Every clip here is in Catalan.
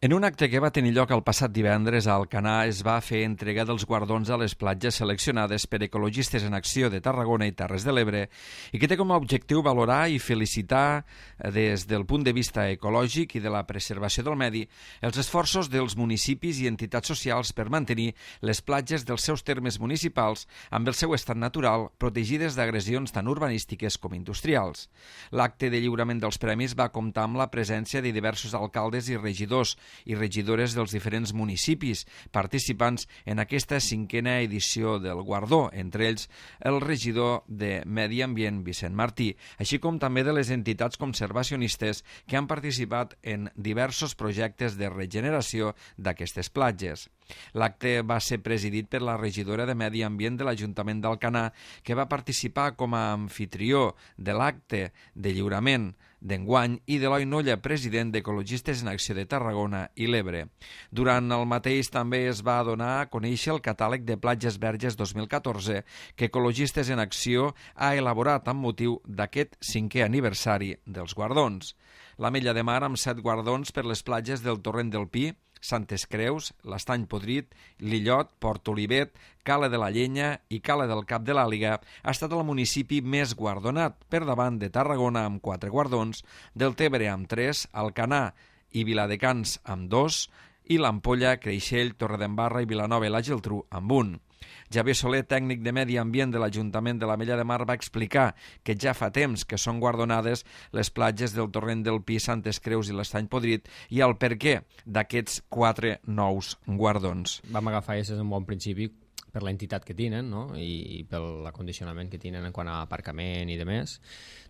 En un acte que va tenir lloc el passat divendres a Alcanar es va fer entrega dels guardons a les platges seleccionades per Ecologistes en Acció de Tarragona i Terres de l'Ebre i que té com a objectiu valorar i felicitar des del punt de vista ecològic i de la preservació del medi els esforços dels municipis i entitats socials per mantenir les platges dels seus termes municipals amb el seu estat natural protegides d'agressions tant urbanístiques com industrials. L'acte de lliurament dels premis va comptar amb la presència de diversos alcaldes i regidors i regidores dels diferents municipis participants en aquesta 5a edició del guardó, entre ells el regidor de Medi Ambient, Vicent Martí, així com també de les entitats conservacionistes que han participat en diversos projectes de regeneració d'aquestes platges. L'acte va ser presidit per la regidora de Medi Ambient de l'Ajuntament d'Alcanar, que va participar com a anfitrió de l'acte de lliurament d'enguany, i d'Eloi Nolla, president d'Ecologistes en Acció de Tarragona i l'Ebre. Durant el mateix també es va donar a conèixer el catàleg de platges verges 2014 que Ecologistes en Acció ha elaborat amb motiu d'aquest 5è aniversari dels guardons. L'Ametlla de Mar, amb 7 guardons per les platges del Torrent del Pi, Santes Creus, l'Estany Podrit, l'Illot, Port Olivet, Cala de la Llenya i Cala del Cap de l'Àliga, ha estat el municipi més guardonat, per davant de Tarragona amb 4 guardons, del Tebre amb 3, Alcanar i Viladecans amb 2 i l'Ampolla, Creixell, Torredembarra i Vilanova i la Geltrú amb 1. Javier Soler, tècnic de Medi Ambient de l'Ajuntament de l'Ametlla de Mar, va explicar que ja fa temps que són guardonades les platges del Torrent del Pi, Santes Creus i l'Estany Podrit i el perquè d'aquests 4 nous guardons. Vam agafar aquests en bon principi per l'entitat que tenen, no? I pel acondicionament que tenen en quant a aparcament i demés,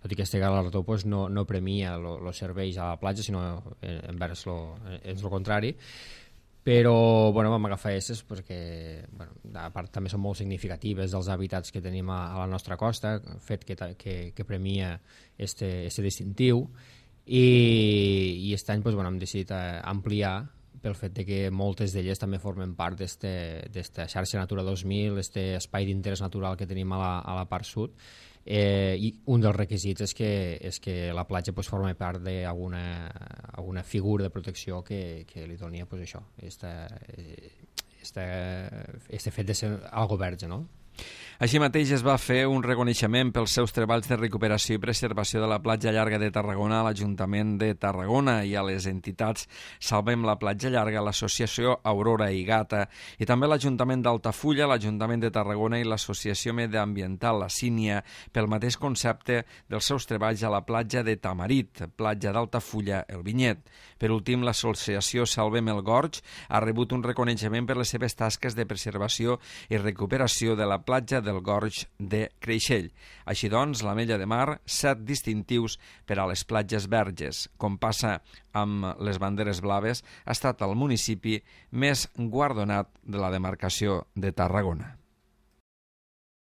tot i que este galardó pues, no premia els serveis a la platja, sinó envers el contrari. Però vam agafar aquestes perquè a part també són molt significatives dels hàbitats que tenim a la nostra costa, fet que premia este distintiu, i aquest any hem decidit ampliar pel fet que moltes d'elles també formen part d'esta xarxa Natura 2000, aquest espai d'interès natural que tenim a la part sud, i un dels requisits és que la platja forma part d'alguna figura de protecció que li doni això, este fet de ser algo verge, no? Així mateix es va fer un reconeixement pels seus treballs de recuperació i preservació de la platja llarga de Tarragona a l'Ajuntament de Tarragona i a les entitats Salvem la Platja Llarga, l'Associació Aurora i Gata, i també l'Ajuntament d'Altafulla, l'Ajuntament de Tarragona i l'Associació Mediambiental La Sínia pel mateix concepte dels seus treballs a la platja de Tamarit, platja d'Altafulla, el Vinyet. Per últim, l'Associació Salvem el Gorg ha rebut un reconeixement per les seves tasques de preservació i recuperació de la platja del Gorg de Creixell. Així doncs, l'Ametlla de Mar, 7 distintius per a les platges verges. Com passa amb les banderes blaves, ha estat el municipi més guardonat de la demarcació de Tarragona.